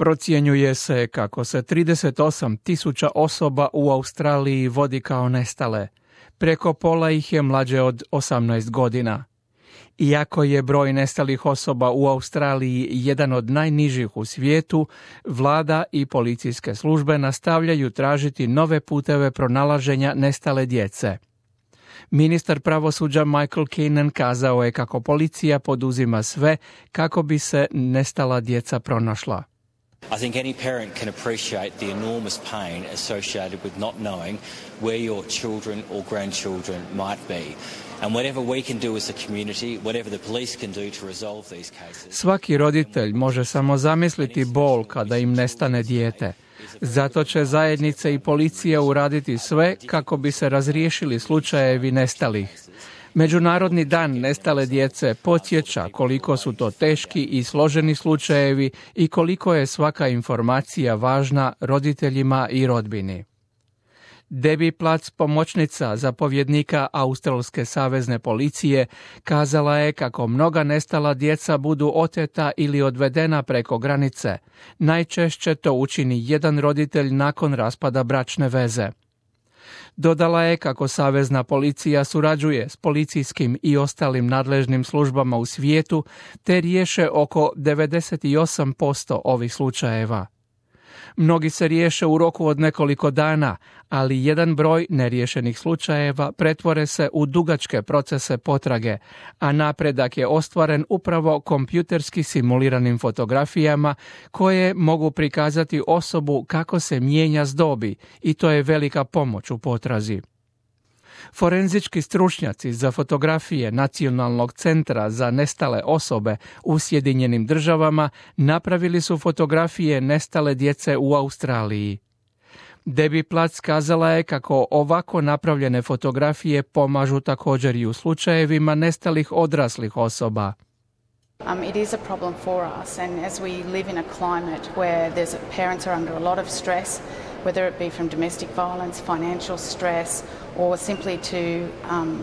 Procjenjuje se kako se 38.000 osoba u Australiji vodi kao nestale. Preko pola ih je mlađe od 18 godina. Iako je broj nestalih osoba u Australiji jedan od najnižih u svijetu, vlada i policijske službe nastavljaju tražiti nove puteve pronalaženja nestale djece. Ministar pravosuđa Michael Keenan kazao je kako policija poduzima sve kako bi se nestala djeca pronašla. I think any parent can appreciate the enormous pain associated with not knowing where your children or grandchildren might be. And whatever we can do as a community, whatever the police can do to resolve these cases. Svaki roditelj može samo zamisliti bol kada im nestane dijete. Zato će zajednice i policija uraditi sve kako bi se razriješili slučajevi nestalih. Međunarodni dan nestale djece podsjeća koliko su to teški i složeni slučajevi i koliko je svaka informacija važna roditeljima i rodbini. Debbie Platts, pomoćnica zapovjednika Australske savezne policije, kazala je kako mnoga nestala djeca budu oteta ili odvedena preko granice. Najčešće to učini jedan roditelj nakon raspada bračne veze. Dodala je kako savezna policija surađuje s policijskim i ostalim nadležnim službama u svijetu te riješe oko 98% ovih slučajeva. Mnogi se riješe u roku od nekoliko dana, ali jedan broj neriješenih slučajeva pretvore se u dugačke procese potrage, a napredak je ostvaren upravo kompjuterski simuliranim fotografijama koje mogu prikazati osobu kako se mijenja s dobi i to je velika pomoć u potrazi. Forenzički stručnjaci za fotografije Nacionalnog centra za nestale osobe u Sjedinjenim Državama napravili su fotografije nestale djece u Australiji. Debbie Platts kazala je kako ovako napravljene fotografije pomažu također i u slučajevima nestalih odraslih osoba. It is a problem for us, and as we live in a climate where parents are under a lot of stress, whether it be from domestic violence, financial stress, or simply to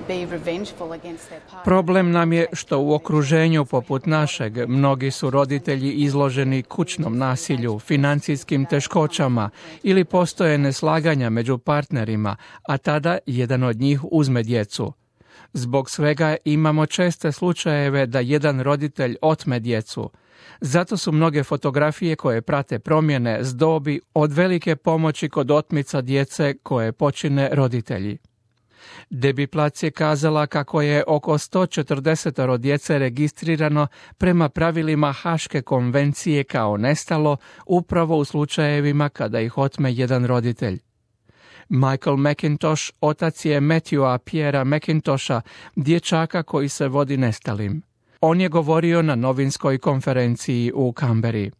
be revengeful against their partner. Problem nam je što u okruženju poput našeg mnogi su roditelji izloženi kućnom nasilju, financijskim teškoćama ili postoje neslaganja među partnerima, a tada jedan od njih uzme djecu. Zbog svega imamo česte slučajeve da jedan roditelj otme djecu. Zato su mnoge fotografije koje prate promjene s dobi od velike pomoći kod otmica djece koje počine roditelji. Debbie Platts je kazala kako je oko 140 djece registrirano prema pravilima Haške konvencije kao nestalo upravo u slučajevima kada ih otme jedan roditelj. Michael McIntosh, otac je Matthewa Pierrea McIntosha, dječaka koji se vodi nestalim. On je govorio na novinskoj konferenciji u Canberri.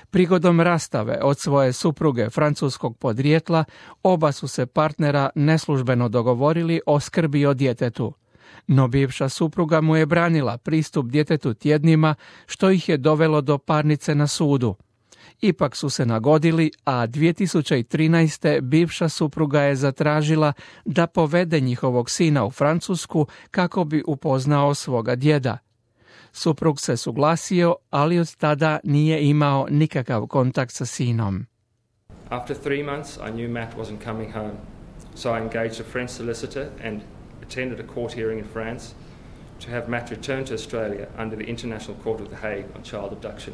Prigodom rastave od svoje supruge francuskog podrijetla, oba su se partnera neslužbeno dogovorili o skrbi o djetetu. No bivša supruga mu je branila pristup djetetu tjednima, što ih je dovelo do parnice na sudu. Ipak su se nagodili, a 2013. bivša supruga je zatražila da povede njihovog sina u Francusku kako bi upoznao svoga djeda. Suprug se suglasio, ali od tada nije imao nikakav kontakt sa sinom. After 3 months, I knew Matt wasn't coming home, so I engaged a French solicitor and attended a court hearing in France to have Matt return to Australia under the International Court of The Hague on child abduction.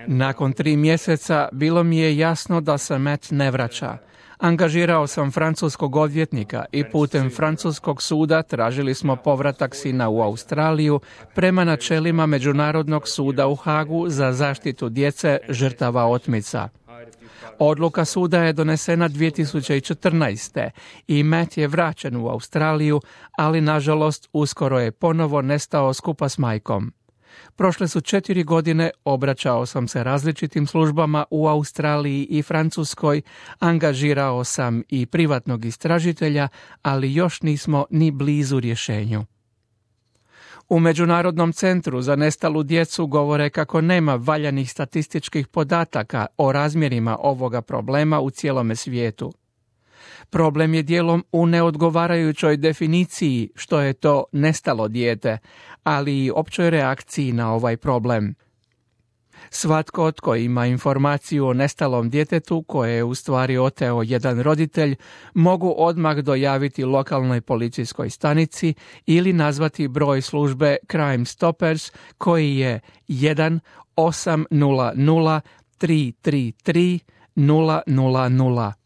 Nakon 3 mjeseca bilo mi je jasno da se Matt ne vraća. Angažirao sam francuskog odvjetnika i putem francuskog suda tražili smo povratak sina u Australiju prema načelima Međunarodnog suda u Hagu za zaštitu djece žrtava otmica. Odluka suda je donesena 2014. i Matt je vraćen u Australiju, ali nažalost uskoro je ponovo nestao skupa s majkom. Prošle su 4 godine, obraćao sam se različitim službama u Australiji i Francuskoj, angažirao sam i privatnog istražitelja, ali još nismo ni blizu rješenju. U Međunarodnom centru za nestalu djecu govore kako nema valjanih statističkih podataka o razmjerima ovoga problema u cijelome svijetu. Problem je dijelom u neodgovarajućoj definiciji što je to nestalo dijete, ali i općoj reakciji na ovaj problem. Svatko tko ima informaciju o nestalom djetetu koje je u stvari oteo jedan roditelj mogu odmah dojaviti lokalnoj policijskoj stanici ili nazvati broj službe Crime Stoppers koji je 1-800-333-000.